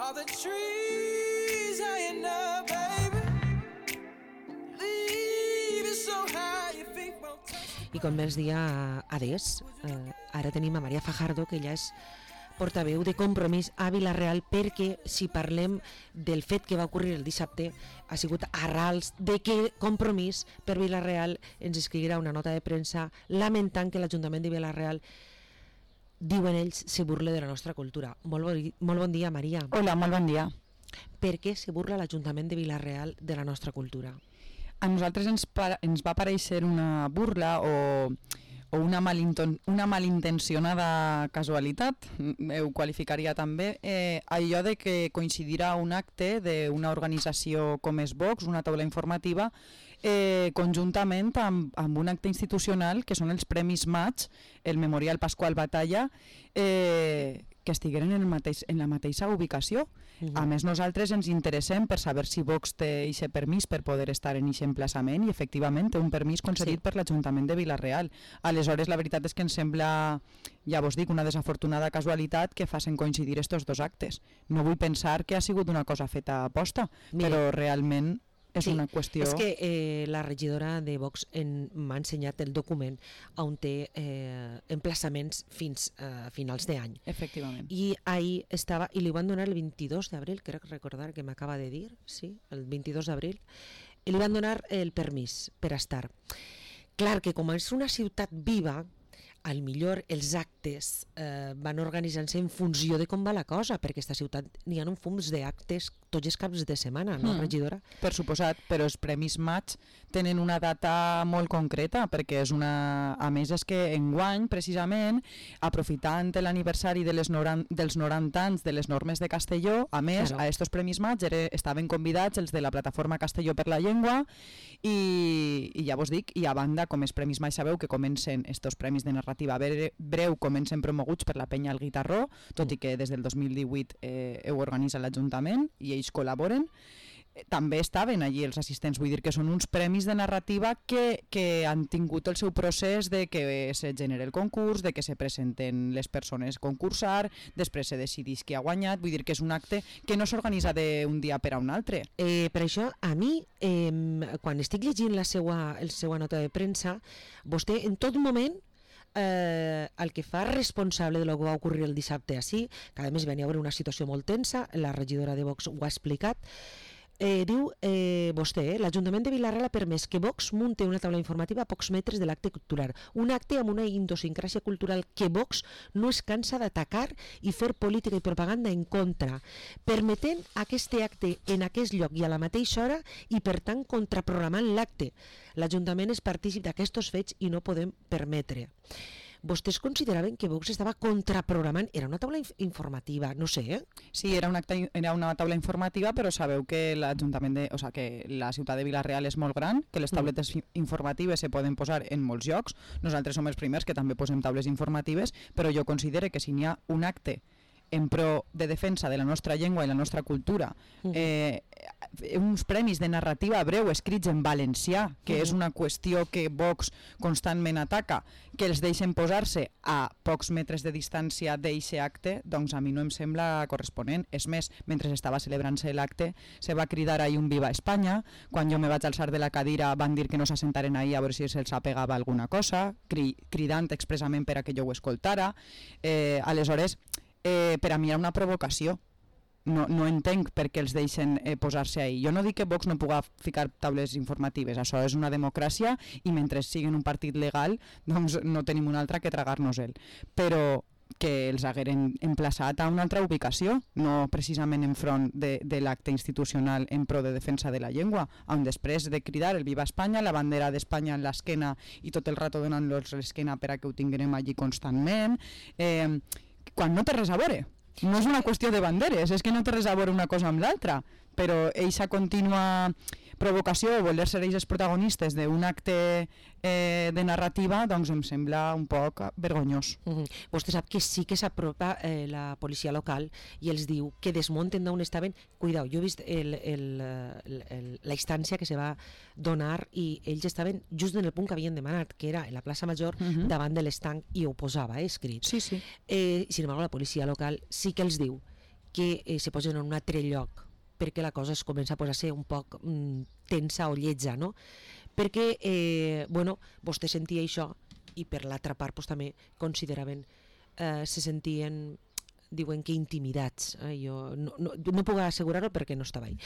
All the trees high enough, baby. Leave it so high your feet won't touch. I com bé els dia adés, ara tenim a Maria Fajardo, que ella és portaveu de Compromís a Vila-real, perquè si parlem del fet que va ocórrer el dissabte ha sigut arrals de que Compromís per Vila-real ens escriurà una nota de premsa lamentant que l'Ajuntament de Vila-real, diuen ells, se burla de la nostra cultura. Molt bon dia, Maria. Hola, molt bon dia. Per què se burla l'Ajuntament de Vila-real de la nostra cultura? A nosaltres ens va aparèixer una burla o una malintencionada casualitat, ho qualificaria també, allò de que coincidirà un acte d'una organització com és Vox, una taula informativa, conjuntament amb un acte institucional que són els Premis Maig, el Memorial Pasqual Batalla, que estigueren en la mateixa ubicació. A més, nosaltres ens interessem per saber si Vox té aquest permís per poder estar en aquest emplaçament, i efectivament té un permís concedit per l'Ajuntament de Vila-real. Aleshores, la veritat és que ens sembla, ja vos dic, una desafortunada casualitat que facin coincidir estos dos actes. No vull pensar que ha sigut una cosa feta a posta, però realment és una qüestió... És que la regidora de Vox m'ha ensenyat el document on té emplaçaments fins a finals d'any. Efectivament. I ahir estava, i li van donar el 22 d'abril, crec recordar que m'acaba de dir, sí, el 22 d'abril, i li van donar el permís per estar. Clar que com és una ciutat viva, al millor els actes van organitzant-se en funció de com va la cosa, perquè aquesta ciutat n'hi ha un fums d'actes tots els caps de setmana, no, regidora? Per suposat, però els Premis Maig tenen una data molt concreta, perquè és una... A més, és que enguany, precisament, aprofitant l'aniversari dels 90 anys de les normes de Castelló, a més, a estos Premis Maig estaven convidats els de la plataforma Castelló per la Llengua, i ja vos dic, i a banda, com els Premis Maig sabeu que comencen estos premis de narrativa breu, comencen promoguts per la penya El Guitarró, tot i que des del 2018 ho organitza l'Ajuntament i ells col·laboren. També estaven allí els assistents, vull dir que són uns premis de narrativa que han tingut el seu procés de que se genera el concurs, de que se presenten les persones a concursar, després se decideix qui ha guanyat, vull dir que és un acte que no s'organitza d'un dia per a un altre. Per això, a mi, quan estic llegint la seva nota de premsa, vostè en tot moment el que fa responsable de lo que va ocórrer el dissabte així, que a més venia a haver una situació molt tensa, la regidora de Vox ho ha explicat, diu vostè, l'Ajuntament de Vila-real ha permès que Vox munti una taula informativa a pocs metres de l'acte cultural, un acte amb una idiosincràsia cultural que Vox no es cansa d'atacar i fer política i propaganda en contra, permetent aquest acte en aquest lloc i a la mateixa hora i per tant contraprogramant l'acte. L'Ajuntament és partícip d'aquests fets i no podem permetre. Vostès consideraven que Vox estava contraprogramant, era una taula informativa, no sé, Sí, era una taula informativa, però sabeu que que la ciutat de Vila-real és molt gran, que les tauletes informatives se poden posar en molts llocs. Nosaltres som els primers que també posem taules informatives, però jo considero que si n'hi ha un acte en pro de defensa de la nostra llengua i la nostra cultura, uns premis de narrativa breu escrits en valencià, que és una qüestió que Vox constantment ataca, que els deixen posar-se a pocs metres de distància d'aquest acte, doncs a mi no em sembla corresponent. És més, mentre estava celebrant-se l'acte, se va cridar ahir un Viva Espanya, quan jo me vaig alçar de la cadira van dir que no s'assentaren ahir a veure si se'ls apegava alguna cosa, cridant expressament per a que jo ho escoltara. Aleshores, per a mi era una provocació. No entenc per què els deixen posar-se ahí. Jo no dic que Vox no pugui ficar taules informatives, això és una democràcia i mentre siguin un partit legal doncs no tenim una altra que tragar-nos-el. Però que els hagueren emplaçat a una altra ubicació, no precisament enfront de l'acte institucional en pro de defensa de la llengua, on després de cridar el Viva Espanya, la bandera d'Espanya en l'esquena i tot el rato donant-los l'esquena per a que ho tinguem allí constantment, quan no té res a veure. No és una qüestió de banderes, és que no té res a veure una cosa amb l'altra, però eixa contínua provocació o voler ser ells els protagonistes d'un acte de narrativa, doncs em sembla un poc vergonyós. Vostè sap que sí que s'apropa la policia local i els diu que desmunten d'on estaven. Cuidao, jo he vist la instància que se va donar i ells estaven just en el punt que havien demanat, que era en la plaça Major, davant de l'estanc, i ho posava escrit. Sí. Sin embargo, la policia local sí que els diu que se posen en un altre lloc, perquè la cosa es comença a posar-se un poc tensa o lletja, no? Perquè, bueno, vostè sentia això i per l'altra part pues, també consideraven, se sentien, diuen que intimidats. Jo no puc assegurar-ho perquè no estava ahí.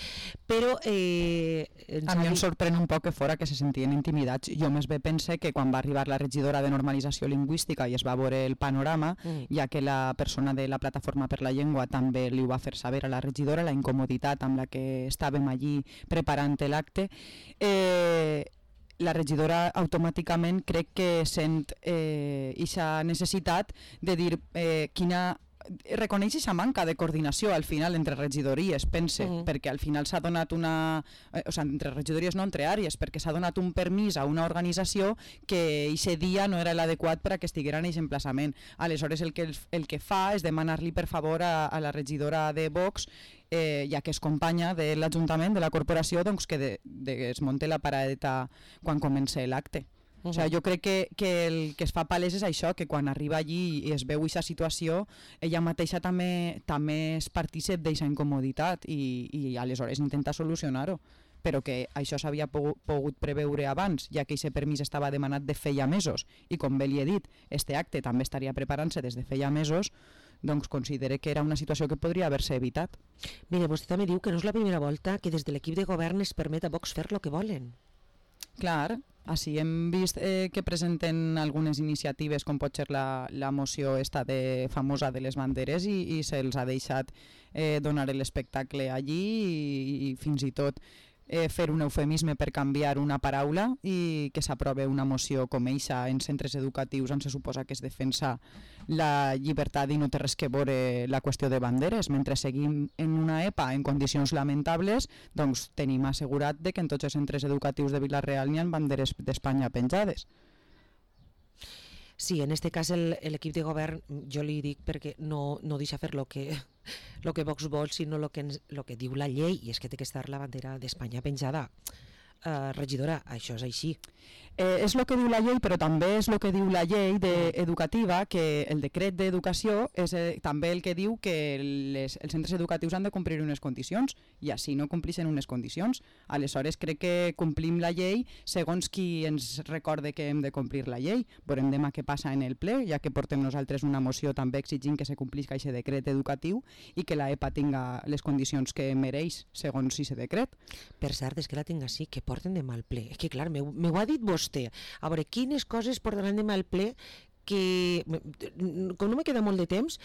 Però a mi em sorprèn un poc que fora que se sentien intimidats. Jo més bé pense que quan va arribar la regidora de normalització lingüística i es va veure el panorama, ja que la persona de la Plataforma per la Llengua també li ho va fer saber a la regidora, la incomoditat amb la que estàvem allí preparant l'acte, la regidora automàticament crec que sent aquesta necessitat de dir quina reconeix aquesta manca de coordinació al final entre regidories, pense, perquè al final s'ha donat una... o sigui, entre regidories no, entre àrees, perquè s'ha donat un permís a una organització que aquest dia no era l'adequat per a que estiguera en aquest emplaçament. Aleshores el que fa és demanar-li per favor a la regidora de Vox, ja que és companya de l'Ajuntament, de la corporació, doncs que es munti la paradeta quan comença l'acte. O sigui, jo crec que el que es fa palès és això, que quan arriba allí i es veu aquesta situació, ella mateixa també és partícip d'aquesta incomoditat i aleshores intenta solucionar-ho, però que això s'havia pogut preveure abans, ja que aquest permís estava demanat de feia mesos i com bé li he dit, este acte també estaria preparant-se des de feia mesos, doncs considere que era una situació que podria haver-se evitat. Mire, vostè també diu que no és la primera volta que des de l'equip de govern es permet a Vox fer el que volen. Clar, així hem vist que presenten algunes iniciatives com pot ser la moció esta famosa de les banderes i se'ls ha deixat donar l'espectacle allí i fins i tot fer un eufemisme per canviar una paraula i que s'aprove una moció com eixa en centres educatius on se suposa que es defensa la llibertat i no té res que veure la qüestió de banderes. Mentre seguim en una EPA en condicions lamentables, doncs tenim assegurat de que en tots els centres educatius de Vila-real n'hi ha banderes d'Espanya penjades. Sí, en este cas l'equip de govern, jo li dic perquè no deixa fer lo que Vox vol, sinó lo que diu la llei, i és que té que estar la bandera d'Espanya penjada. Regidora, això és així. És el que diu la llei, però també és el que diu la llei educativa, que el decret d'educació és també el que diu que els centres educatius han de complir unes condicions i així no complixen unes condicions. Aleshores crec que complim la llei segons qui ens recorde que hem de complir la llei. Veurem demà què passa en el ple, ja que portem nosaltres una moció també exigint que se complisca aquest decret educatiu i que la EPA tinga les condicions que mereix segons aquest decret. Per cert, és que la tinc així, que porten demà al ple. És que clar, m'ho ha dit vostè. A veure, quines coses portaran demà al ple que, com no me queda molt de temps,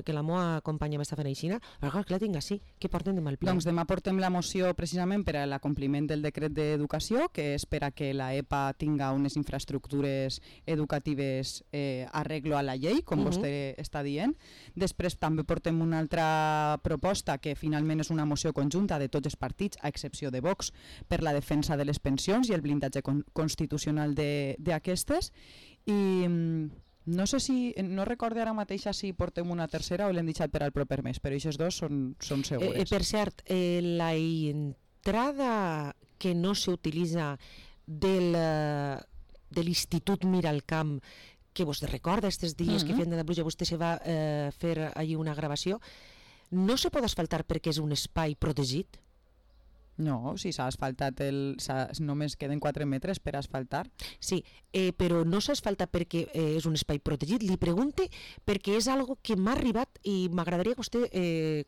que la meva companya m'està fent aixina, però clar, que la tinc així, que porten demà al ple. Doncs demà portem la moció precisament per a l'acompliment del decret d'educació, que és per a que la EPA tinga unes infraestructures educatives arreglo a la llei, com vostè està dient. Després també portem una altra proposta, que finalment és una moció conjunta de tots els partits, a excepció de Vox, per la defensa de les pensions i el blindatge constitucional d'aquestes. I no sé si, no recorde ara mateix si portem una tercera o l'hem deixat per al proper mes, però aquests dos són segures. Per cert, la entrada que no s'utilitza de l'Institut Miralcamp, que vostè recorda aquests dies que feien de pluja, vostè se va fer allí una gravació, no se pot asfaltar perquè és un espai protegit? No, si s'ha asfaltat, només queden 4 metres per asfaltar. Sí, però no s'ha asfaltat perquè és un espai protegit. Li pregunte perquè és algo que m'ha arribat i m'agradaria que vostè,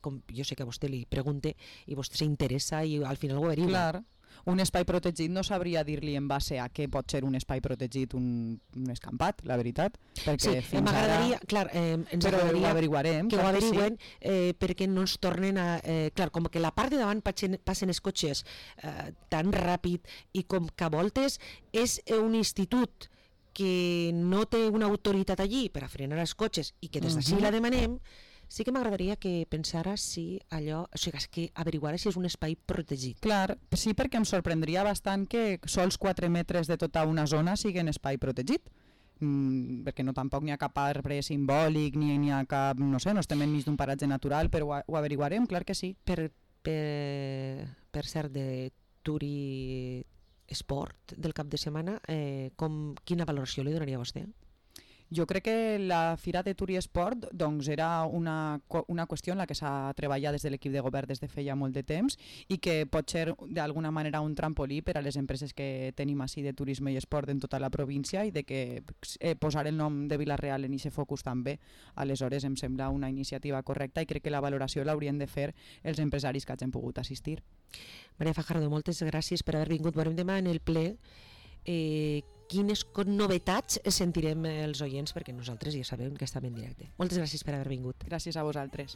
com jo sé que a vostè li pregunte i vostè s'interessa i al final ho averigua. Clar, un espai protegit no sabria dir-li en base a què pot ser un espai protegit un escampat, la veritat. Sí, m'agradaria, clar, ens agradaria ho averiguarem, que ho averigüen perquè no ens tornen a... Clar, com que la part de davant passen els cotxes tan ràpid i com que a voltes és un institut que no té una autoritat allí per a frenar els cotxes i que des d'ací la demanem, sí que m'agradaria que pensara si allò, o sigui, que averiguara si és un espai protegit. Clar, sí, perquè em sorprendria bastant que sols 4 metres de tota una zona siguin espai protegit, perquè no tampoc n'hi ha cap arbre simbòlic, ni n'hi ha cap, no sé, no estem enmig d'un paratge natural, però ho averiguarem, clar que sí. Per cert, de Turi Esport del cap de setmana, quina valoració li donaria a vostè? Jo crec que la Fira de Tur i Esport doncs, era una qüestió en la que s'ha treballat des de l'equip de govern des de feia molt de temps i que pot ser d'alguna manera un trampolí per a les empreses que tenim així de turisme i esport en tota la província i de que posar el nom de Vila-real en aquest focus també. Aleshores em sembla una iniciativa correcta i crec que la valoració l'haurien de fer els empresaris que hagin pogut assistir. Maria Fajardo, moltes gràcies per haver vingut. Veurem demà en el ple quines novetats sentirem els oients, perquè nosaltres ja sabem que estem en directe. Moltes gràcies per haver vingut. Gràcies a vosaltres.